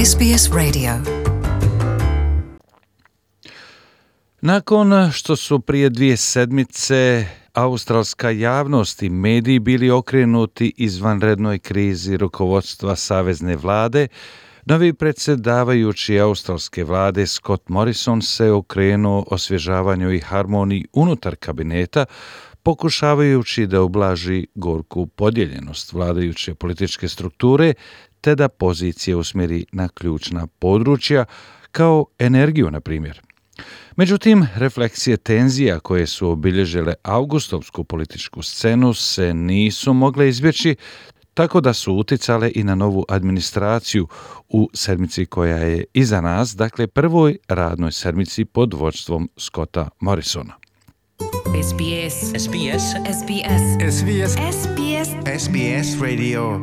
SBS Radio. Nakon što su prije 2 sedmice australska javnost i mediji bili okrenuti izvanrednoj krizi rukovodstva savezne vlade, novi predsjedavajući australske vlade Scott Morrison se okrenuo osvježavanju i harmoniji unutar kabineta, pokušavajući da ublaži gorku podijeljenost vladajuće političke strukture te da pozicije usmjeri na ključna područja kao energiju, na primjer. Međutim, refleksije tenzija koje su obilježile augustovsku političku scenu se nisu mogle izbjeći, tako da su uticale i na novu administraciju u sedmici koja je iza nas, dakle prvoj radnoj sedmici pod vodstvom Scotta Morrisona. SBS Radio.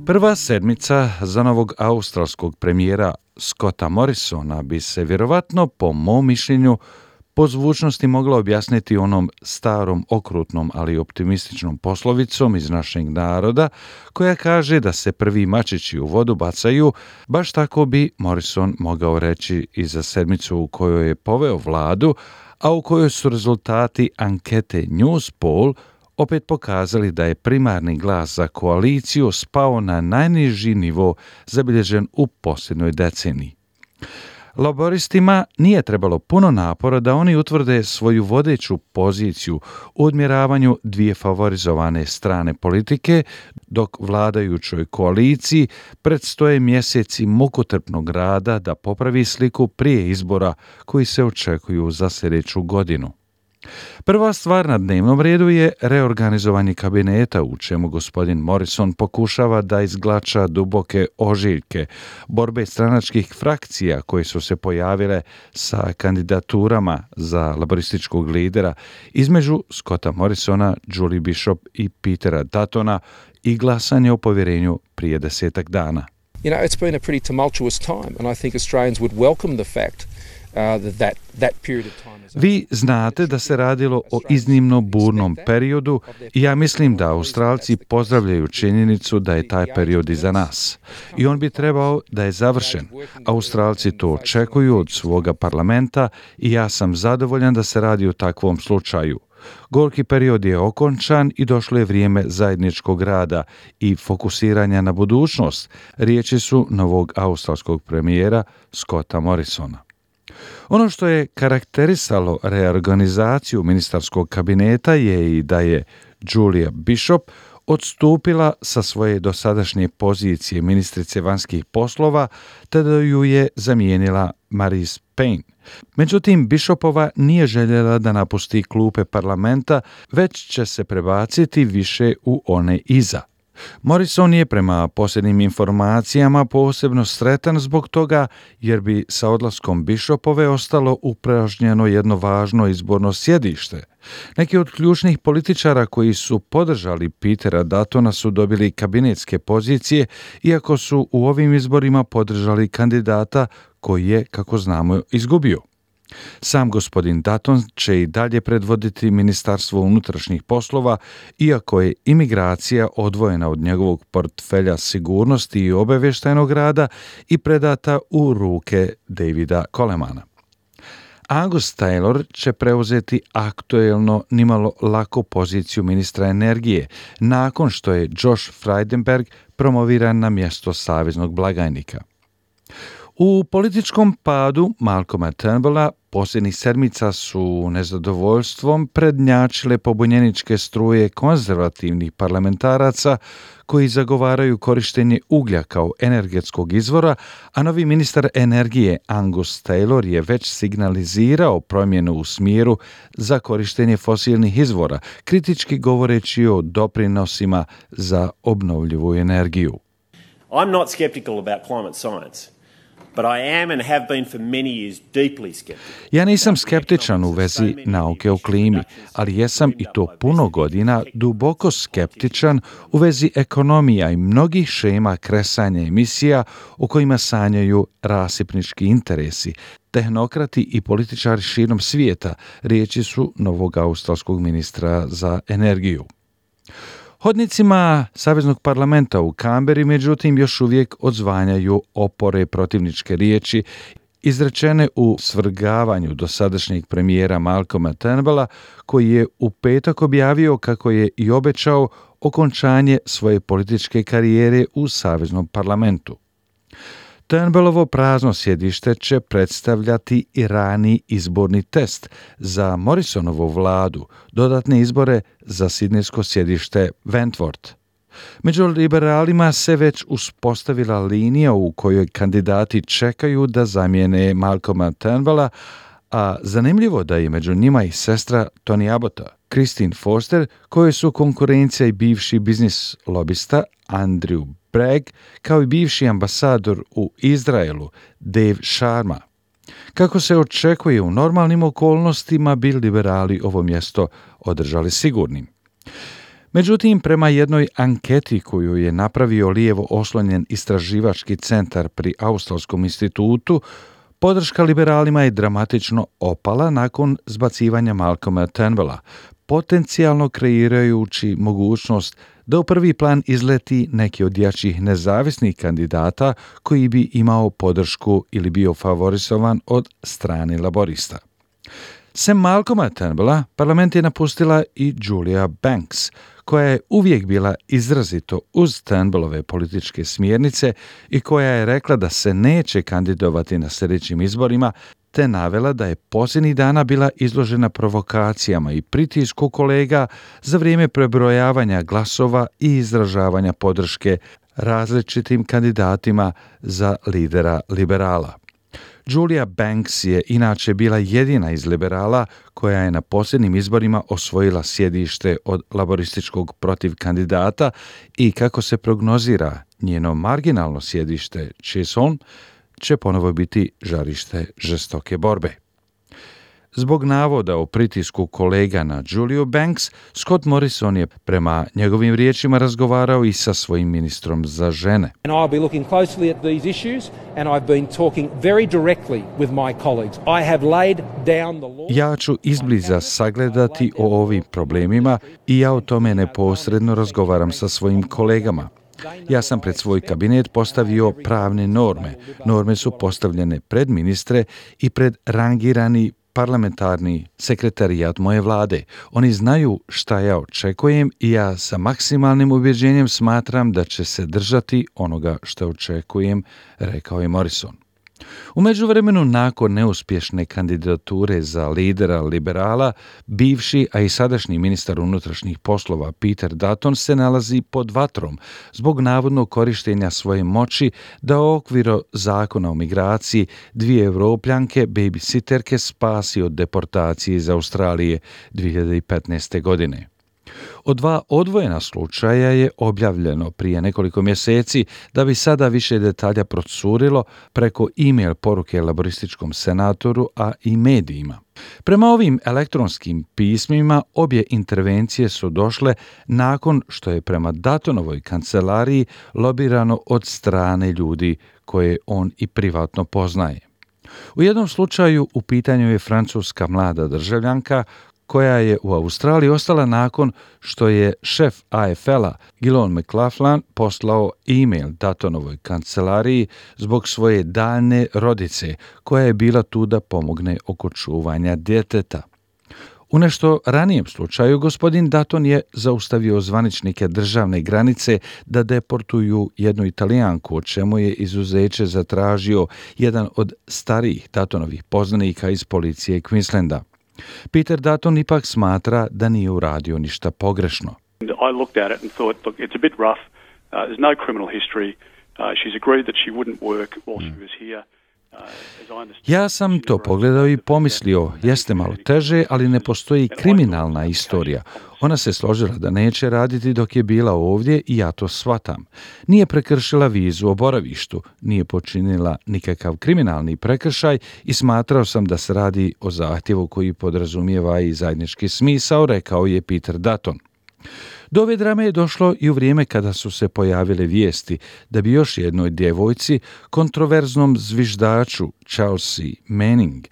Prva sedmica za novog australskog premijera Scotta Morrisona bi se vjerovatno, po mom mišljenju, po zvučnosti mogla objasniti onom starom, okrutnom, ali optimističnom poslovicom iz našeg naroda, koja kaže da se prvi mačići u vodu bacaju. Baš tako bi Morrison mogao reći i za sedmicu u kojoj je poveo vladu, a u kojoj su rezultati ankete Newspoll opet pokazali da je primarni glas za koaliciju spao na najniži nivo zabilježen u posljednjoj deceniji. Laboristima nije trebalo puno napora da oni utvrde svoju vodeću poziciju u odmjeravanju dvije favorizovane strane politike, dok vladajućoj koaliciji predstoje mjeseci mukotrpnog rada da popravi sliku prije izbora koji se očekuju za sljedeću godinu. Prva stvar na dnevnom redu je reorganizovanje kabineta, u čemu gospodin Morrison pokušava da izglača duboke ožiljke, borbe stranačkih frakcija koje su se pojavile sa kandidaturama za laborističkog lidera između Scotta Morrisona, Julie Bishop i Petera Duttona i glasanje o povjerenju prije 10 dana. You know, it's been a pretty tumultuous time, and I think Australians would welcome the fact that period of time. Vi znate da se radilo o iznimno burnom periodu i ja mislim da Australci pozdravljaju činjenicu da je taj period iza nas. I on bi trebao da je završen. Australci to očekuju od svoga parlamenta i ja sam zadovoljan da se radi o takvom slučaju. Gorki period je okončan i došlo je vrijeme zajedničkog rada i fokusiranja na budućnost, riječi su novog australskog premijera Scotta Morrisona. Ono što je karakterisalo reorganizaciju ministarskog kabineta je i da je Julia Bishop odstupila sa svoje dosadašnje pozicije ministrice vanjskih poslova, te da ju je zamijenila Marise Payne. Međutim, Bishopova nije željela da napusti klupe parlamenta, već će se prebaciti više u one iza. Morrison je prema posljednjim informacijama posebno sretan zbog toga jer bi sa odlaskom Bishopove ostalo upražnjeno jedno važno izborno sjedište. Neki od ključnih političara koji su podržali Petera Duttona su dobili kabinetske pozicije, iako su u ovim izborima podržali kandidata koji je, kako znamo, izgubio. Sam gospodin Dutton će i dalje predvoditi Ministarstvo unutrašnjih poslova, iako je imigracija odvojena od njegovog portfelja sigurnosti i obavještajnog rada i predata u ruke Davida Colemana. Angus Taylor će preuzeti aktuelno nimalo lako poziciju ministra energije, nakon što je Josh Frydenberg promoviran na mjesto saveznog blagajnika. U političkom padu Malcolma Turnbulla posljednjih sedmica su nezadovoljstvom prednjačile pobunjeničke struje konzervativnih parlamentaraca koji zagovaraju korištenje uglja kao energetskog izvora, a novi ministar energije Angus Taylor je već signalizirao promjenu u smjeru za korištenje fosilnih izvora, kritički govoreći o doprinosima za obnovljivu energiju. I'm not skeptical about climate science. But I am and have been for many years deeply skeptical. Ja nisam skeptičan u vezi nauke o klimi, ali jesam i to puno godina duboko skeptičan u vezi ekonomija i mnogih šema kresanja emisija u kojima sanjaju rasipnički interesi, tehnokrati i političari širom svijeta, riječi su novog australskog ministra za energiju. Hodnicima Saveznog parlamenta u Kamberi, međutim, još uvijek odzvanjaju opore protivničke riječi izrečene u svrgavanju dosadašnjeg premijera Malcolma Turnbulla, koji je u petak objavio kako je i obećao okončanje svoje političke karijere u Saveznom parlamentu. Turnbullovo prazno sjedište će predstavljati i rani izborni test za Morrisonovu vladu, dodatne izbore za sidnejsko sjedište Wentworth. Među liberalima se već uspostavila linija u kojoj kandidati čekaju da zamijene Malcolma Turnbulla, a zanimljivo da je među njima i sestra Tony Abbotta, Christine Foster, koje su konkurencija i bivši biznis lobista Andrew Bragg, kao i bivši ambasador u Izraelu Dave Sharma. Kako se očekuje u normalnim okolnostima, bi liberali ovo mjesto održali sigurnim. Međutim, prema jednoj anketi koju je napravio lijevo oslonjen istraživački centar pri Australskom institutu, podrška liberalima je dramatično opala nakon zbacivanja Malcolma Turnbulla, potencijalno kreirajući mogućnost da u prvi plan izleti neki od jačih nezavisnih kandidata koji bi imao podršku ili bio favorizovan od strane laborista. Sem Malcolma Turnbulla, parlament je napustila i Julia Banks, koja je uvijek bila izrazito uz Turnbullove političke smjernice i koja je rekla da se neće kandidovati na sljedećim izborima, te navela da je posljednjih dana bila izložena provokacijama i pritisku kolega za vrijeme prebrojavanja glasova i izražavanja podrške različitim kandidatima za lidera liberala. Julia Banks je inače bila jedina iz liberala koja je na posljednjim izborima osvojila sjedište od laborističkog protiv kandidata i kako se prognozira njeno marginalno sjedište Chisholm će ponovo biti žarište žestoke borbe. Zbog navoda o pritisku kolega na Juliu Banks, Scott Morrison je prema njegovim riječima razgovarao i sa svojim ministrom za žene. And I'll be looking closely at these issues and I've been talking very directly with my colleagues. I have laid down the law. Ja ću izbliza sagledati o ovim problemima i ja o tome neposredno razgovaram sa svojim kolegama. Ja sam pred svoj kabinet postavio pravne norme. Norme su postavljene pred ministre i pred rangirani parlamentarni sekretarijat moje vlade. Oni znaju šta ja očekujem i ja sa maksimalnim ubjeđenjem smatram da će se držati onoga što očekujem, rekao je Morrison. U međuvremenu, nakon neuspješne kandidature za lidera liberala, bivši, a i sadašnji ministar unutrašnjih poslova Peter Dutton se nalazi pod vatrom zbog navodnog korištenja svoje moći da u okviru zakona o migraciji 2 Evropljanke babysitterke spasi od deportacije iz Australije 2015. godine. Od 2 odvojena slučaja je objavljeno prije nekoliko mjeseci da bi sada više detalja procurilo preko e-mail poruke laborističkom senatoru, a i medijima. Prema ovim elektronskim pismima obje intervencije su došle nakon što je prema Duttonovoj kancelariji lobirano od strane ljudi koje on i privatno poznaje. U jednom slučaju u pitanju je francuska mlada državljanka koja je u Australiji ostala nakon što je šef AFL-a Gillon McLachlan poslao e-mail Duttonovoj kancelariji zbog svoje daljne rodice koja je bila tu da pomogne oko čuvanja djeteta. U nešto ranijem slučaju gospodin Dutton je zaustavio zvaničnike državne granice da deportuju jednu Italijanku, o čemu je izuzeće zatražio jedan od starijih Duttonovih poznanika iz policije Queenslanda. Peter Dutton ipak smatra da nije uradio ništa pogrešno. I looked at it and thought, look, it's a bit rough. There's no criminal history. She's agreed that she wouldn't work while she was here. Ja sam to pogledao i pomislio, jeste malo teže, ali ne postoji kriminalna istorija. Ona se složila da neće raditi dok je bila ovdje i ja to shvatam. Nije prekršila vizu o boravištu, nije počinila nikakav kriminalni prekršaj i smatrao sam da se radi o zahtjevu koji podrazumijeva i zajednički smisao, rekao je Peter Dutton. Do ove drame je došlo i u vrijeme kada su se pojavile vijesti da bi još jednoj djevojci, kontroverznom zviždaču Chelsea Manning,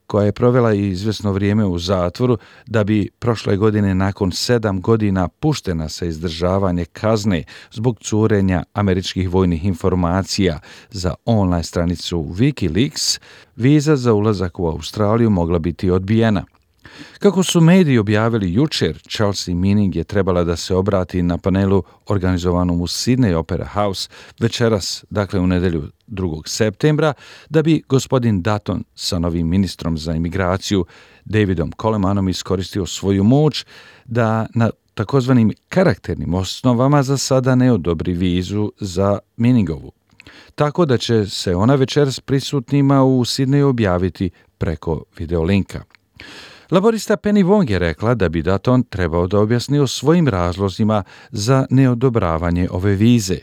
koja je provela i izvesno vrijeme u zatvoru, da bi prošle godine nakon 7 godina puštena sa izdržavanje kazne zbog curenja američkih vojnih informacija za online stranicu Wikileaks, viza za ulazak u Australiju mogla biti odbijena. Kako su mediji objavili jučer, Chelsea Manning je trebala da se obrati na panelu organizovanom u Sydney Opera House večeras, dakle u nedjelju 2. septembra, da bi gospodin Dutton sa novim ministrom za imigraciju Davidom Colemanom iskoristio svoju moć da na takozvanim karakternim osnovama za sada ne odobri vizu za Manningovu. Tako da će se ona večeras prisutnima u Sydney objaviti preko videolinka. Laborista Penny Wong je rekla da bi Dutton trebao da objasni o svojim razlozima za neodobravanje ove vize.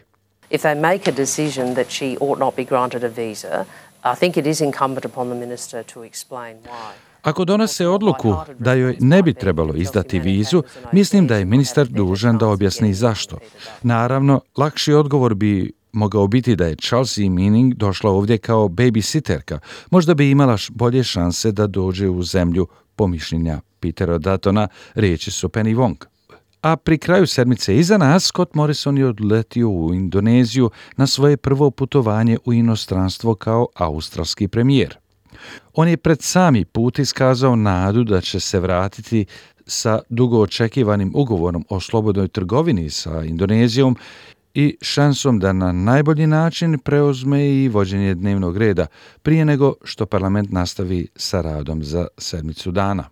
If they make a decision that she ought not be granted a visa, I think it is incumbent upon the minister to explain why. Ako donose odluku da joj ne bi trebalo izdati vizu, mislim da je ministar dužan da objasni zašto. Naravno, lakši odgovor bi mogao biti da je Chelsea Manning došla ovdje kao babysitterka. Možda bi imala bolje šanse da dođe u zemlju po mišljenja Petera Duttona, riječi su Penny Wong. A pri kraju sedmice iza nas, Scott Morrison je odletio u Indoneziju na svoje prvo putovanje u inostranstvo kao australski premijer. On je pred sami put iskazao nadu da će se vratiti sa dugo očekivanim ugovorom o slobodnoj trgovini sa Indonezijom i šansom da na najbolji način preuzme i vođenje dnevnog reda prije nego što parlament nastavi sa radom za sedmicu dana.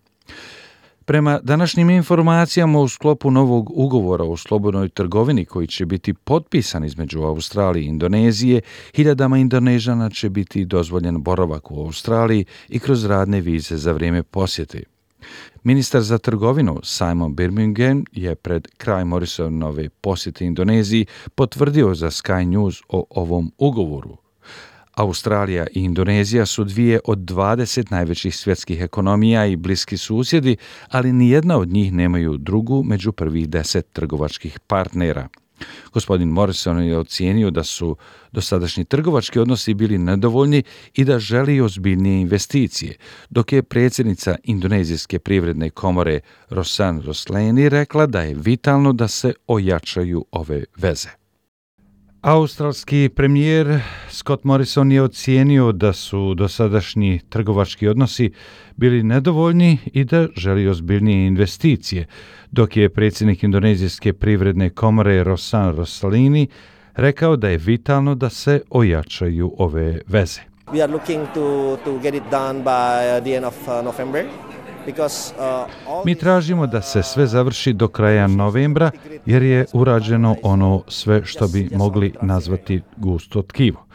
Prema današnjim informacijama u sklopu novog ugovora o slobodnoj trgovini koji će biti potpisan između Australije i Indonezije, hiljadama Indonežana će biti dozvoljen boravak u Australiji i kroz radne vize za vrijeme posjete. Ministar za trgovinu Simon Birmingham je pred kraj Morrisonove posjete Indoneziji potvrdio za Sky News o ovom ugovoru. Australija i Indonezija su dvije od 20 najvećih svjetskih ekonomija i bliski susjedi, ali nijedna od njih nemaju drugu među prvih 10 trgovačkih partnera. Gospodin Morrison je ocijenio da su dosadašnji trgovački odnosi bili nedovoljni i da želi ozbiljnije investicije, dok je predsjednica Indonezijske privredne komore Rosan Roslani rekla da je vitalno da se ojačaju ove veze. Australski premijer Scott Morrison je ocijenio da su dosadašnji trgovački odnosi bili nedovoljni i da želi ozbiljnije investicije, dok je predsjednik Indonezijske privredne komore Rosan Roslani rekao da je vitalno da se ojačaju ove veze. We are looking to get it done by the end of November. Mi tražimo da se sve završi do kraja novembra jer je urađeno ono sve što bi mogli nazvati gusto tkivo.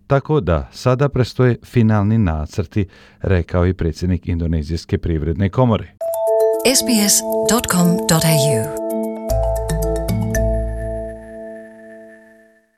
Tako da sada prestoje finalni nacrti, rekao je predsjednik Indonezijske privredne komore. sbs.com.au